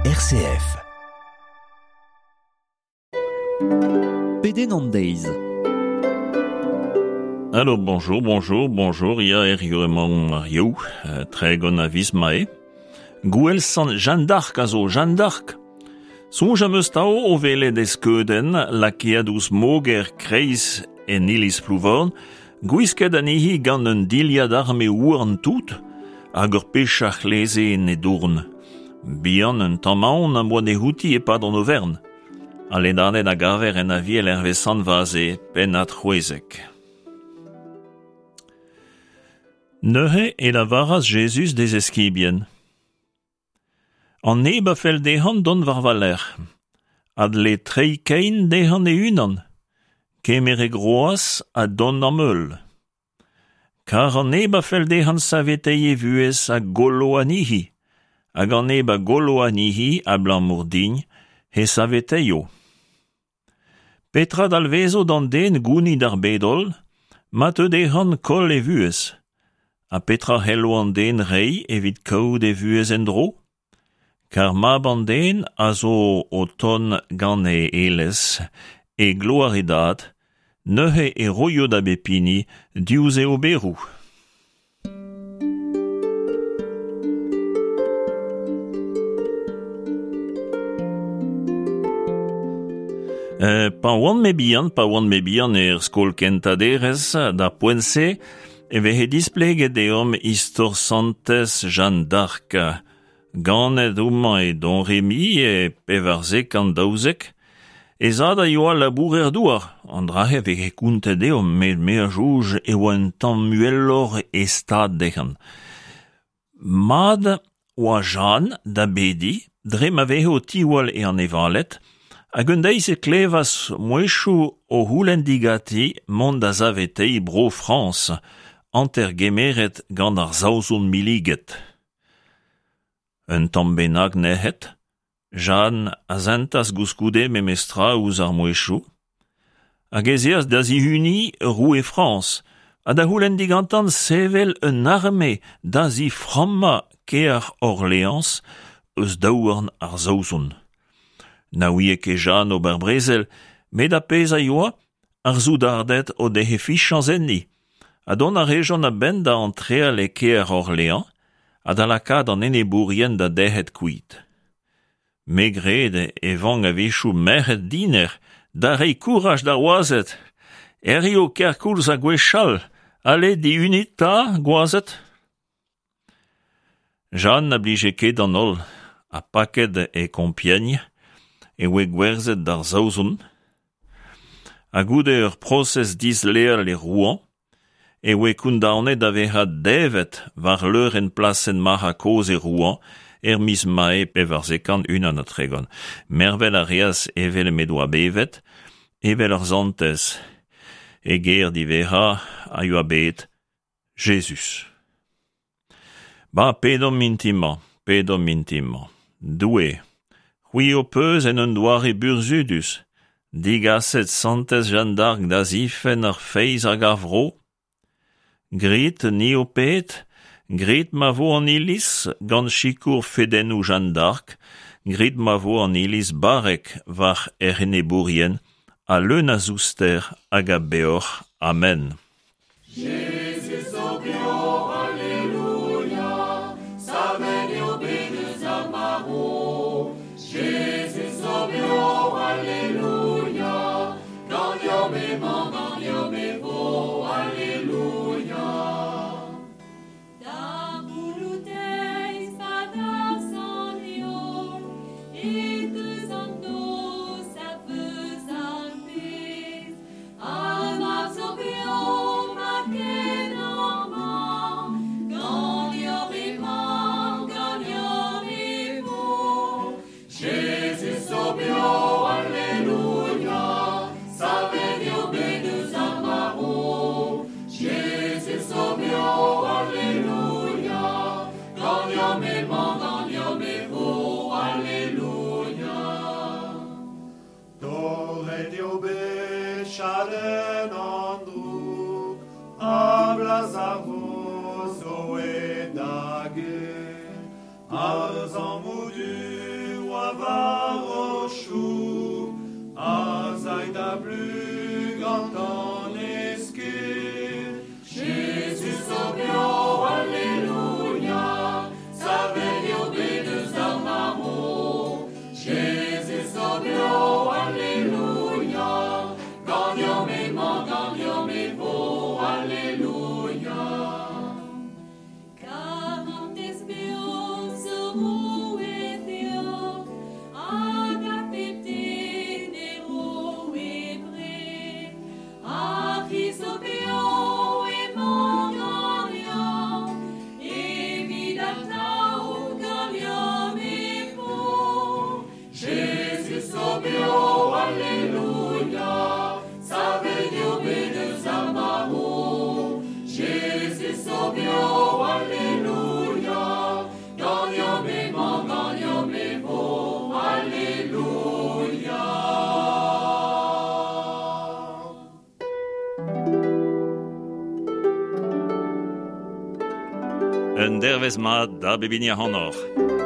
RCF. Pedenn an deiz. Alors bonjour, bonjour, bonjour, ya hiziv emañ ar Yaou, 30 a viz Mae. Gouel sant Jeanne d'Arc a zo Jeanne d'Arc. Soñj am eus 'tao o welet e skeudenn lakaet ouzh moger kreiz en iliz Plouvorn, gwisket anezhi gant un dilhad arme houarn tout hag ur pech a c'hleze en he dourn. Bihan un tamm aon am boa dezhouti e-pad an overn. Al ledaned a gaver en Aviel hervez Sant Vaze, pennad 16. Neuze e lavaras Jezuz d'e zeskibien. An neb a fell dezhañ dont war va lerc'h a dle treiñ kein dezhañ e-unan, kemer e groaz ha dont d'am heul. Kar an neb a fell dezhañ saveteiñ e vuhez a gollo anezhi, hag an neb a gollo anezhi abalamour din he saveteio. Petra dalvezo d'an den gounit ar bed-holl ma teu dezhañ koll e vuhez? Ha petra c'hello an den reiñ evit kaout e vuhez en-dro? Kar mab an den a zo o tont gant e elez e gloar e dad, neuze e roio da bep hini diouzh e oberoù. Pa oan-me bihan, pa oan-me bihan er skol kentañ derez, d'ar poent-se, e veze displeget deomp istor santez Jeanne d'Arc. Ganet homañ e Domremy e 1412, he zad a yoa labourer-douar. An dra-se 'veze kontet deomp met me a soñj e oa un tamm uheloc'h e stad dezhañ. Mat oa Jeanne da bediñ dre ma veze o tiwall e anevaled hag un deiz e klevas mouezhioù o c'houlenn diganti mont da saveteiñ Bro-Frañs, hanter gemeret gant ar Saozon milliget. Un tamm bennak nec'het, Jeanne a sentas gouskoude memestra ouzh ar mouezhioù, hag ez eas da zihuniñ roue Frañs ha da c'houlenn digantañ sevel un arme da ziframmañ kêr Orleañs eus daouarn ar Saozon. Na ouie ket Jeanne ober brezel, met ar pezh a yoa, ar soudarded o dehe fichañs enni, ha dont a rejont a-benn da antreal e kêr Orleañ ha da lakaat an enebourien da dec'het kuit. Me 'gred e vank a-wechoù merc'hed dinec'h da reiñ kouraj d'ar wazed. Hiziv kerkoulz ha gwechall, ale dihunit 'ta, gwazed. Jeanne na blije ket d'an holl, ha paket e Compiègne e oe gwerzhet d'ar Saozon. Ha goude ur prosez disleal e Rouen e oe kondaonet da vezañ devet war leurenn plasenn Marc'h Kozh e Rouen er miz Mae 1431. Mervel a reas evel m'he doa bevet, evel ur santez. E ger diwezhañ a yoa bet Jezuz. Ba pedomp mintin-mañ, pedomp mintin-mañ. Doue, c'hwi ho peus en un doare burzhudus digaset santez Jeanne d'Arc da zifenn ar feiz hag ar vro. Grit, ni ho ped, grit ma vo an Iliz gant sikour fedennoù Jeanne d'Arc, grit ma vo an Iliz barrek war hec'h enebourien ha leun a zouster hag a beoc'h. Amen. Jezuz zo bev, Alleluia, savet eo bet eus ar marv. Jezuz zo bev, Alleluia, ganeomp emañ, ganeomp e vo, Alleluia. Da c'houloù-deiz pa darzh an heol e teus an noz a veuz ar bed. Ar mab zo bev, ma ken amañ, ganeoc'h emañ, ganeoc'h e vo. Jezuz zo bev, Alleluia, savet eo bet eus ar marv. Jezuz zo bev, Alleluia, ganeomp emañ, ganeomp e vo, Alleluia. Torret eo bet chadenn an droug, ha blaz ar vro zo aet da get. Ar zammoù du oa n'a plus grand en escud. Jésus zo beo, alleluia, savet eo bet eus ar maro. Jésus zo beo, alleluia, ganeomp emañ, ganeomp e vo, alleluia. Karantez beo zo roet deoc'h, hag ar pep den e ro e bred. Ar c'hiz zo beo emañ ganeomp, evit atav ganeomp e vo. Jésus zo beo, alleluia, savet eo bet eus ar maro. Jésus zo beo, alleluia, ganeomp emañ, ganeomp e vo, alleluia. Un dervez mat da bep hini ac'hanoc'h.